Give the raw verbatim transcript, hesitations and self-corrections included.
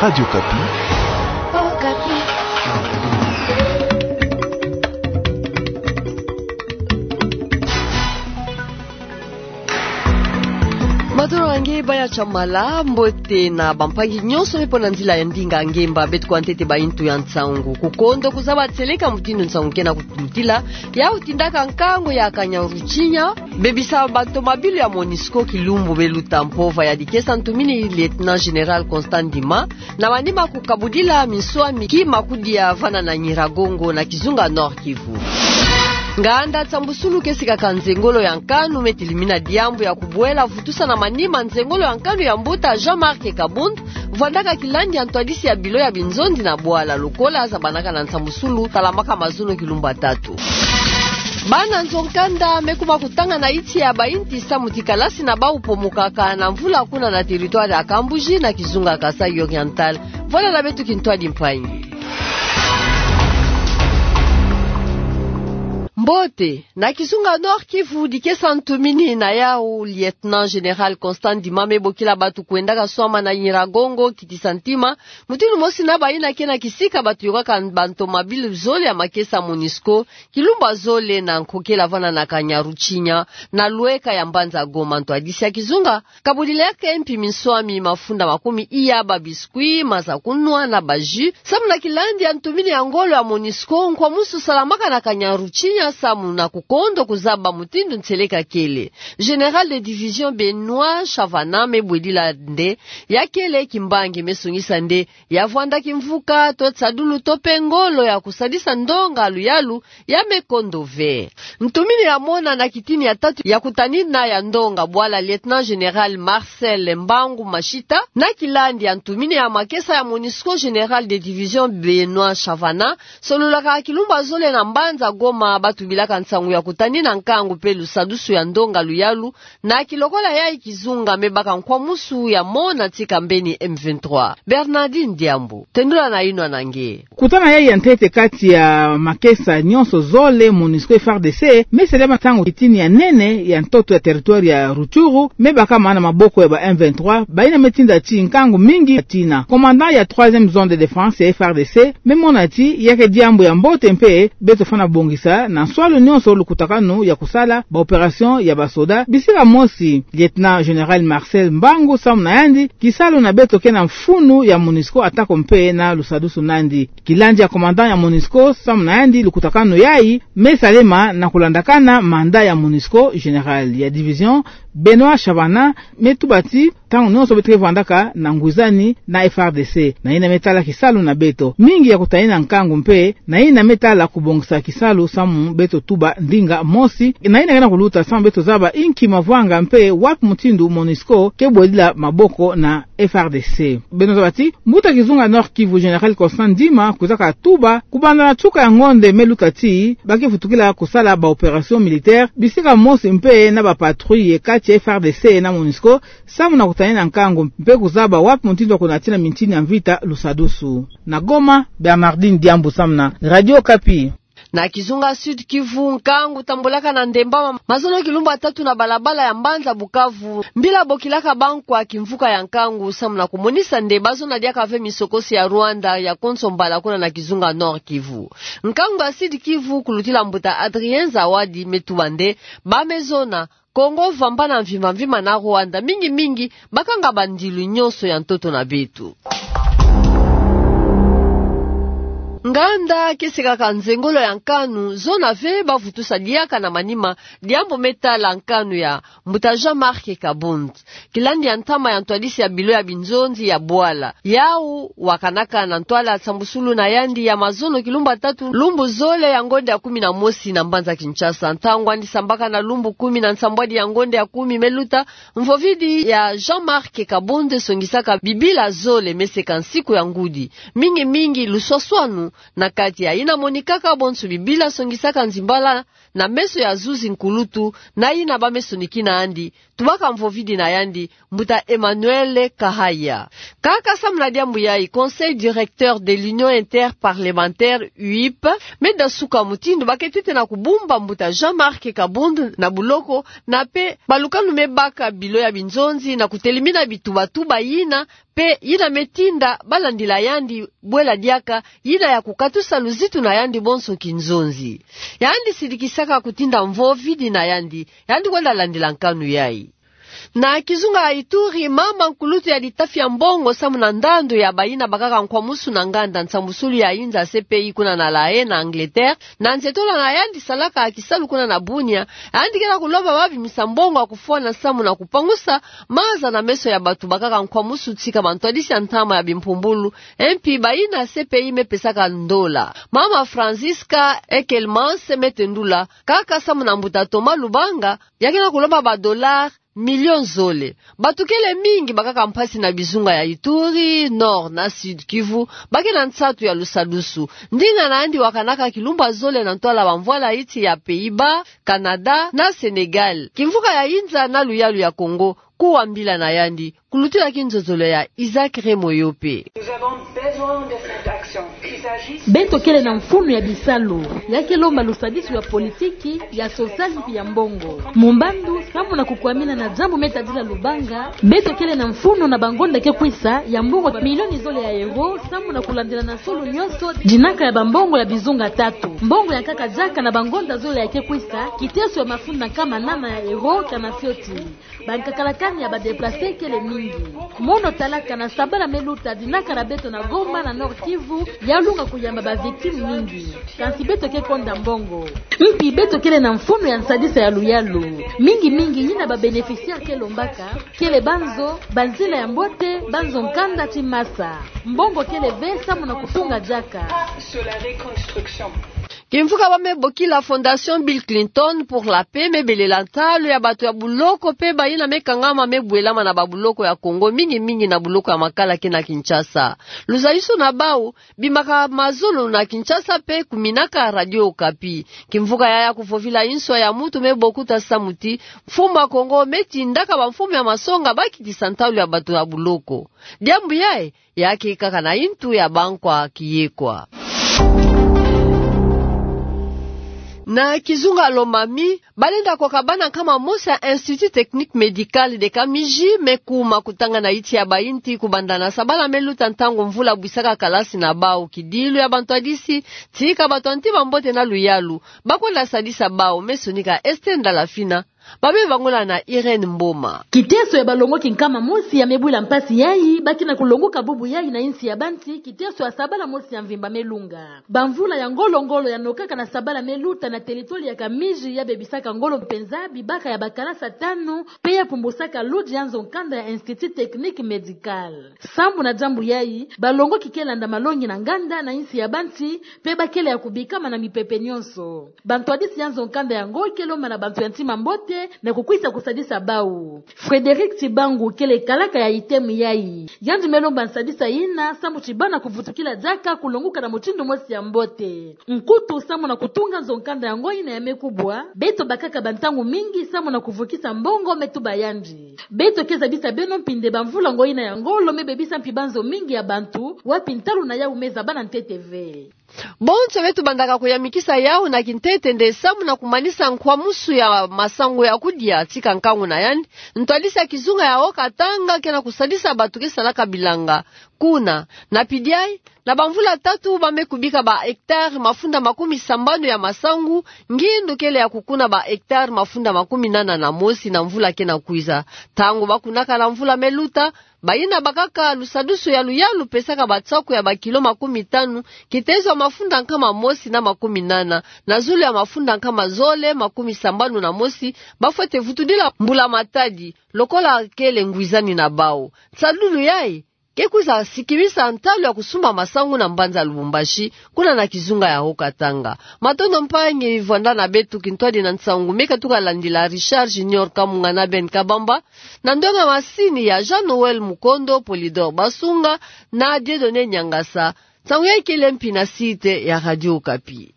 Radio Okapi. Madoro ange baya chamala, mbote na bampangi nyonso me pona nzila ya ndinga ngemba beto kwa ntete ba intu ya nsangu. Kukondo kuzaba tieleka mutindu nsangu kena kututila, ya utindaka nkangu ya Kanyaruchinya, bebisa bantomabilu ya Monusco kilumbu beluta mpova ya dikesa ntumini Lieutenant Général Constant Ndima, na manima kukabudila minswami ki makudia vana na Nyiragongo na kizunga Nord-Kivu. Nganda nsambusulu ke sikaka nzengolo ya nkanu me tilimina diambu ya kubwela vutusa na manima nzengolo ya nkanu ya mbuta Jean-Marc Kabund, vwandaka kilandi ya ntwadisi ya bilo ya binzonzi na bwala lokola zabanaka na nsambusulu talamaka mazono kilumbu tatu. Bana nzo nkanda me kuma kutanga na iti ya ba inti samu ti kalasi na bau pomokaka na mvula kuna na territoire ya Kambuji na kizunga Kasaï Oriental. Vwala na beto kintwadi mpangi. Mbote, na kizunga Nord-Kivu dikesa ntumini na yau Lieutenant Général Constant Ndima me bokila batu kwendaka swama na Nyiragongo kitisa ntima, mutindu mosi na bayina kena kisika batu yokaka bantomabilu zole ya makesa Monusco, kilumbu zole na nkokela vana na Kanyaruchinya, na lweka ya mbanza Goma. Ntwadisi ya kizunga kabudilaka mpi minswami mafunda makumi iya, ba biscuits, maza kunwa na ba jus, samu na kilandi ya ntumini ya ngolo ya Monusco nkwamusu salamaka na Kanyaruchinya samu na kukondo kuzaba mutindu ntieleka kele. Général de division Benoît Chavana me bwedila nde ya kele kimbangi me songisa nde ya vwanda kimvuka to tisadulu to pe ngolo ya kusadisa ndonga luyalu ya me kondo ve. Ntumini ya mona na kitini ya tatu ya kutanina ya ndonga bwala Lieutenant Général Marcel Mbangu Mashita, na kilandi ya ntumini ya makesa ya Monusco Général de division Benoît Chavana, sololaka kilumbu zole na mbanza Goma batu bilaka nsangu ya kutanina nkangu pe lusadusu ya ndonga luyalu, na kilokola yayi kizunga me baka nkwamusu ya mona tika mbeni M vingt-trois. Bernardine Diambu, tendula na inwa na nge. Kutana yayi ya ntete kati ya makesa nyonso zole, Monusco F R D C, me salama ntangu kitini ya nene ya ntoto ya territoire ya Rutshuru me bakama na maboko ya ba M vingt-trois, bayina me tinda ti nkangu mingi ya tina. Commandant ya troisième zone de défense ya F R D C me mona ti ya ke diambu ya mbote mpe beto fana bongisa na nswalu nyonso lukutakanu ya kusala ba opération ya ba soda, bisika mosi Lieutenant Général Marcel Mbangu samu na yandi, kisalu na beto ke na mfunu ya Monusco atako mpe na lusadusu na yandi. Kilandi ya commandant ya Monusco samu na yandi lukutakanu yayi me salama na kulandakana mandat ya Monusco. Général ya division Benoît Chavana me tuba ti ntangu nyonso beto ke vwandaka na ngwizani na F R D C, na yina me tala kisalu na beto mingi ya kutanina nkangu mpe na yina me tala kubongisa kisalu samu beto tuba ndinga mosi, na yina kena kuluta samu beto zaba inki mavwanga mpe wapi mutindu Monusco ke bwedila maboko na F R D C. Beno zaba ti mbuta kizunga Nord-Kivu Général Constant Ndima kwizaka tuba kubanda na nsuka ya ngonde me luta ti ba ke vutukila kusala ba opération militaire bisika mosi mpe na ba patrouille kati ya F R D C na Monusco, samu na kutanina nkangu mpe kuzaba wapi mutindu wa kunatina mintini ya mvita lusadusu. Na Goma, Bernardine Diambu samu na Radio Okapi. Na kizunga Sud-Kivu, nkangu tambolaka na ndemba ma-, mazono kilumbu tatu na balabala ya mbanza Bukavu, mbila bokilaka bankwa kimvuka ya nkangu samu na kumonisa nde bazona diaka ve misokosi ya Rwanda ya konso mbala kuna na kizunga Nord-Kivu. Nkangu ya Sud-Kivu kulutila mbuta Adrien Zawadi me tuba nde ba me zona Kongo vambana mvimba mvimba na Rwanda, mingi mingi bakanga bandilu nyonso ya ntoto na beto. Nganda ke sekaka nzengolo ya nkanu, zona ve ba vutusa diaka na manima diambu me tala nkanu ya mbuta Jean-Marc Kabund. Kilandi ya ntama ya ntwadisi ya bilo ya binzonzi ya bwala, yau wakanaka na ntwala nsambusulu na yandi ya mazono kilumbu tatu, lumbu zole ya ngonde ya kumi na mosi na mbanza Kinshasa. Ntangu andi sambaka na lumbu kumi na nsambwadi ya ngonde ya kumi me luta, mvovidi ya Jean-Marc Kabund songisaka bibila zole me seka nsiku ya ngudi. Mingi mingi luswaswanu na kati ya yina monikaka bonso bibila songisaka nzimbala na meso ya zuzi nkulutu, na yina ba me sonikina andi, tubaka mvovidi na yandi, mbuta Emmanuel Kahaya. Kaka samu na diambu yayi, Conseil directeur de l'Union interparlementaire, U I P, me dasuka mutindu ba ke tete na kubumba mbuta Jean-Marc Kabund na buloko, na pe balukanu me baka bilo ya binzonzi na kutelimina bitubatuba yina Pe yina me tinda balandila yandi bwela diaka, yina ya kukatusa luzitu na yandi bonso kinzonzi. Yandi sidikisaka kutinda mvo vidi na yandi, yandi kwenda landila nkanu yayi. Na kizunga ya Ituri, mama nkulutu ya litafi ya Mbongo samu na ndandu ya bayina bakaka nkwamusu na nganda nsambusulu ya inza C P I kuna na La Haye na Angleterre, na nzetola na yandi salaka kisalu kuna na Bunia, yandi kena kulomba babimisa mbongo ya kufwana samu na kupangusa maza na meso ya batu bakaka nkwamusu tika bantwadisi ya ntama ya bimpumbulu, mpi bayina C P I me pesaka ndola. Mama Francisca Ekelmans me tendula, kaka samu na mbuta Thomas Lubanga, ya kena kulomba ba dollars million zole. Batu kele mingi bakaka mpasi na bizunga ya Ituri, Nord na Sud Kivu, ba kena nsatu ya lusadusu. Ndinga na yandi wakanaka kilumbu ya zole na ntwala bamvwala iti ya Pays-Bas, Canada na Sénégal. Kimvuka ya inza na luyalu ya Kongo, kuwa mbila na yandi, kulutila kinzozolo ya Isaac Remoyope. Nous avons besoin de cette action. Qu'il s'agisse... Beto kele na mfunu ya bisalu, ya ke lomba lusadisu ya politiki, ya sosiali mpi ya mbongo. Mu mbandu, samu na kukwamina na diambu me tadila Lubanga, beto kele na mfunu na bangonda ke kwisa ya mbongo milioni zole ya euro, samu na kulandila na solo nyonso dinaka ya bambongo ya bizunga tatu. Mbongo ya nkaka diaka na bangonda zole ya ke kwisa, kiteso ya mafunda nkama nana ya euro kana fioti. Bankakalakani ya ba déplacés kele mingi. Mono talaka na sabala me luta dinaka na beto na Goma na Nord-Kivu, ya lunga kuyamba ba victimes mingi. Kansi beto ke konda mbongo. Mpi beto kele na mfunu ya nsadisa ya luyalu. Mingi mingi yina ba bénéficiaires ke lombaka, kele banzo, banzila ya mbote, banzo nkanda ti masa. Mbongo kele ve samu na kutunga diaka. Kimvuka ba me bokila Fondation Bill Clinton pour la Paix me belela ntalu ya bato ya buloko pe bayina me kangama me bwelama na babuloko ya Congo, mingi mingi na buloko ya Makala ke na Kinshasa. Luzayusu na bau bimaka mazulu na Kinshasa pe kuminaka Radio Okapi. Kimvuka yaya kuvovila inswa ya mutu me bokuta samu ti mfumu a Congo me tindaka bamfumu ya masonga ba kitisa ntalu ya bato ya buloko. Diambu yayi, ya ke kaka na intu ya bankwa kiyekwa. Na kizunga Lomami, balenda kwa kabana nkama mosi ya Institut Technique Médical de Kamiji me kuma kutanga na iti ya bainti kubanda na sabala me luta ntangu mvula bwisaka kalasi na bau. Kidilu ya bantwadisi, tika bato ya ntima mbote na luyalu ba kwenda sadisa bau, me sonika Esther Ndalafina. Ba me bangula na Irène Mboma. Kiteso ya balongoki nkama mosi ya me bwila mpasi yayi, ba ke na kulongoka bubu yayi na insi ya banti, kiteso ya sabala mosi ya mvimba me lunga. Bamvula ya ngolo-ngolo ya nokaka na sabala me luta na territoire ya Kamiji ya bebisaka ngolo mpenza bibaka ya bakalasi tanu, pe ya pumbusaka ludi ya nzo nkanda ya Institut Technique Médical. Sambu na diambu yayi, balongoki ke landa malongi na nganda na insi ya banti, pe ba kele ya kubikama na mipepe nyonso. Bantwadisi ya nzo nkanda yango ke lomba na bantu ya ntima mbote na kukwisa kusadisa bau. Frédéric Tibangu kele kalaka ya ITEM yayi. Yandi me lomba nsadisa yina, sambu ti bana kuvutukila diaka kulongoka na mutindu mosi ya mbote. Nkutu sambu na kutunga nzo nkanda yango yina ya me kubwa, beto bakaka bantangu mingi sambu na kuvukisa mbongo me tuba yandi. Beto ke zabisa beno mpinde bamvula ngo yina ya ngolo me bebisa mpi banzo mingi ya bantu, wapi ntalu na yau me zaba na ntete ve. Bonso beto bandaka kuyamikisa yau na kintete nde samu na kumanisa nkwamusu ya masangu ya kudia tika nkangu na yandi, ntwadisi ya kizunga ya Haut-Katanga ke na kusadisa bato ke salaka bilanga kuna. Na pidi yayi, na bamvula tatu ba me kubika ba hectares mafunda makumi sambanu ya masangu, ngindu kele ya kukuna ba hectares mafunda makumi nana na mosi na mvula ke na kwiza. Ntangu ba kunaka na mvula me luta, bayina bakaka lusadusu ya luyalu pesaka batsaku ya bakilo makumi tanu, kitezo ya mafunda nkama mosi na makumi nana, na zulu ya mafunda nkama zole makumi sambanu na mosi, ba fwete vutudila mbula matadi, lokola kele ngwizani na bau. Nsalulu yayi ke kwiza sikimisa ntalu ya kusumba masangu na mbanza Lubumbashi, kuna na kizunga ya Haut-Katanga. Matondo mpangi vwanda na beto, kintwadi na nsangu me katuka landila Richard Junior Kamunga na Ben Kabamba, na ndonga masini ya Jean Noël Mukondo, Polydor Basunga na Dieudonné Niangasa. Nsangu yayi kele mpi na site ya Radio Okapi.